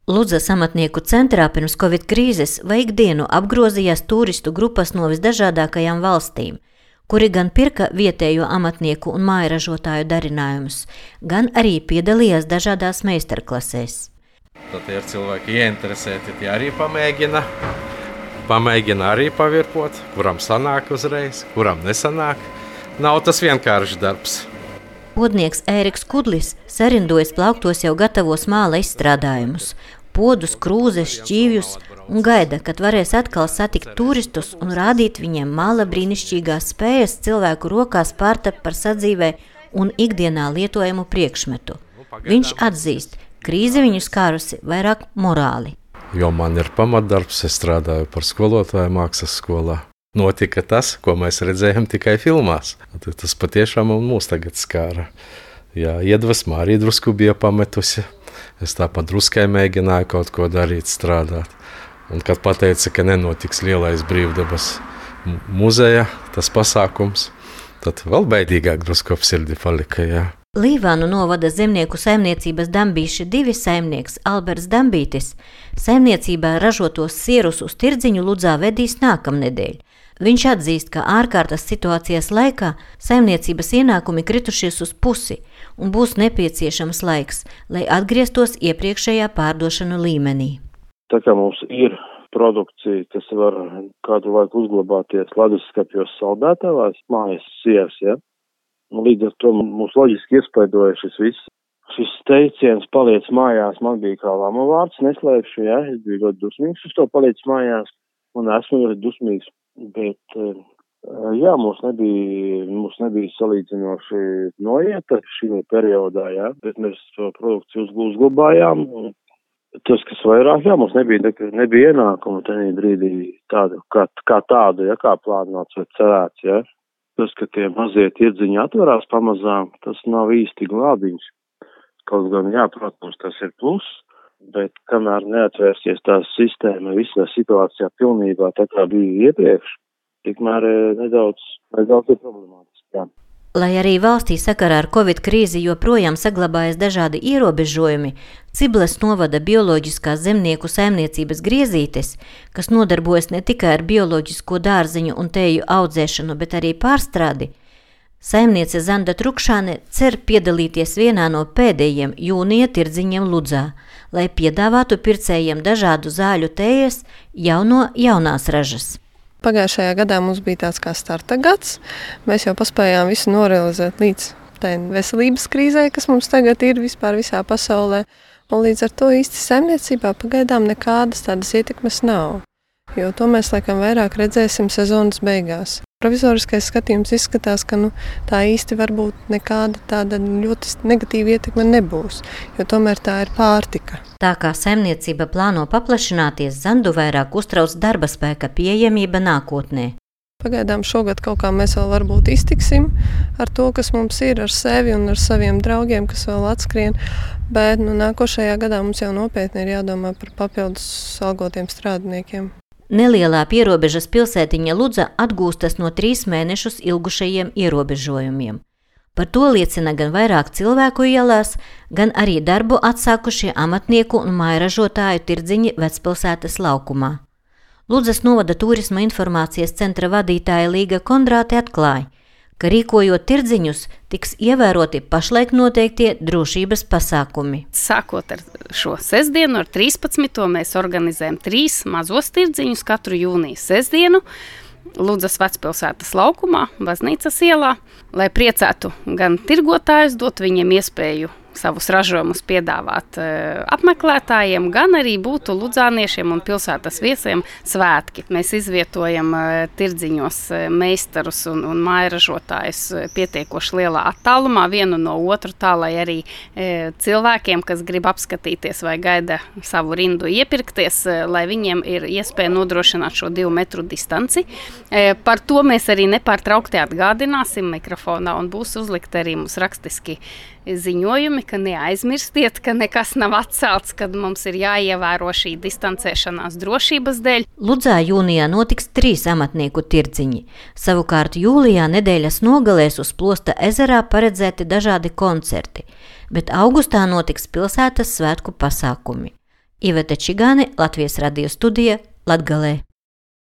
Ludzas amatnieku centrā pirms Covid krīzes vai ikdienu apgrozījās turistu grupas no visdažādākajām valstīm, kuri gan pirka vietējo amatnieku un mājražotāju darinājumus, gan arī piedalījās dažādās meistarklasēs. Tad ir cilvēki ieinteresēti, tie arī pamēģina arī pavirpot, kuram sanāk uzreiz, kuram nesanāk. Nav tas vienkāršs darbs. Podnieks Ēriks Kudlis sarindojas plauktos jau gatavos māla izstrādājumus, podus, krūzes, šķīvjus un gaida, kad varēs atkal satikt turistus un rādīt viņiem māla brīnišķīgās spējas cilvēku rokās pārtapt par sadzīvē un ikdienā lietojamu priekšmetu. Viņš atzīst, krīze viņu skārusi vairāk morāli. Jo man ir pamatdarbs, es strādāju par skolotāju mākslas skolā. Notika tas, ko mēs redzējām tikai filmās. Tas patiešām mūs tagad skāra. Jā, iedvesma arī drusku bija pametusi. Es tāpat druskai mēģināju kaut ko darīt, strādāt. Un kad pateica, ka nenotiks lielais brīvdabas muzeja, tas pasākums, tad vēl bēdīgāk drusku ap sirdi palika, jā. Līvānu novada zemnieku saimniecības Dambīši 2 saimnieks Alberts Dambītis saimniecībā ražotos sierus uz tirdziņu Ludzā vedīs nākamnedēļ. Viņš atzīst, ka ārkārtas situācijas laikā saimniecības ienākumi kritušies uz pusi un būs nepieciešams laiks, lai atgrieztos iepriekšējā pārdošanu līmenī. Tā kā mums ir produkcija, kas var kādu laiku uzglabāties leduskapjos saldētavās, mājas sieras, ja? Līdz ar to mums loģiski iespaidoja šis viss. Šis teiciens paliec mājās, man bija kā lama vārds, neslēpšu, ja? Es biju ļoti dusmīgs uz to paliec mājās un esmu ļoti dusmīgs. Bet, jā, mums nebija salīdzinoši noieta šī periodā, jā, bet mēs to produkciju uzglabājām. Tas, kas vairāk, jā, mums nebija ienākumu tenī brīdī tādu, kā tādu, ja, kā plānots vai cerēts, jā. Tas, ka tie mazie tirdziņi atverās pamazām, tas nav īsti glābiņš. Kaut gan, jā, protams, tas ir plus, bet kamēr neatvērsies tā sistēma visā situācijā pilnībā tā kā bija iepriekš, tikmēr nedaudz ir problemātiski, jā. Lai arī valstī sakarā ar Covid krīzi joprojām saglabājas dažādi ierobežojumi, Cibles novada bioloģiskās zemnieku saimniecības Griezītes, kas nodarbojas ne tikai ar bioloģisko dārziņu un tēju audzēšanu, bet arī pārstrādi, saimniece Zanda Trukšāne cer piedalīties vienā no pēdējiem jūnija tirdziņiem Ludzā, lai piedāvātu pircējiem dažādu zāļu tējas jau no jaunās ražas. Pagājušajā gadā mums bija tāds kā starta gads. Mēs jau paspējām visu norealizēt līdz tai veselības krīzē, kas mums tagad ir vispār visā pasaulē. Un līdz ar to īsti saimniecībā pagaidām nekādas tādas ietekmes nav. Jo to mēs laikam vairāk redzēsim sezonas beigās. Provizoriskais skatījums izskatās, ka tā īsti varbūt nekāda tāda ļoti negatīva ietekme nebūs, jo tomēr tā ir pārtika. Tā kā saimniecība plāno paplašināties, Zandu vairāk uztrauc darba spēka pieejamība nākotnē. Pagaidām šogad kaut kā mēs vēl varbūt iztiksim ar to, kas mums ir ar sevi un ar saviem draugiem, kas vēl atskrien, bet nākošajā gadā mums jau nopietni ir jādomā par papildus algotiem strādniekiem. Nelielā pierobežas pilsētiņa Ludza atgūstas no 3 mēnešus ilgušajiem ierobežojumiem. Par to liecina gan vairāk cilvēku ielās, gan arī darbu atsākušie amatnieku un mājražotāju tirdziņi Vecpilsētas laukumā. Ludzas novada turisma informācijas centra vadītāja Līga Kondrāte atklāja, ka rīkojot tirdziņus tiks ievēroti pašlaik noteiktie drošības pasākumi. Sākot ar šo sestdienu, ar 13. mēs organizējam 3 mazos tirdziņus katru jūnijas sestdienu Ludzas Vecpilsētas laukumā, Baznīcas ielā, lai priecētu gan tirgotājus, dot viņiem iespēju savus ražojumus piedāvāt apmeklētājiem, gan arī būtu ludzāniešiem un pilsētas viesiem svētki. Mēs izvietojam tirdziņos meistarus un mājražotājus pietiekoši lielā attālumā vienu no otru, tā lai arī cilvēkiem, kas grib apskatīties vai gaida savu rindu iepirkties, lai viņiem ir iespēja nodrošināt šo 2 metru distanci. Par to mēs arī nepārtraukti atgādināsim mikrofonā un būs uzlikt arī mums rakstiski ziņojumi, ka neaizmirstiet, ka nekas nav atcelts, kad mums ir jāievēro šī distancēšanās drošības dēļ. Ludzā jūnijā notiks 3 amatnieku tirdziņi. Savukārt jūlijā nedēļas nogalēs uz Plosta ezerā paredzēti dažādi koncerti, bet augustā notiks pilsētas svētku pasākumi. Iveta Čigāne, Latvijas radio studija, Latgalē.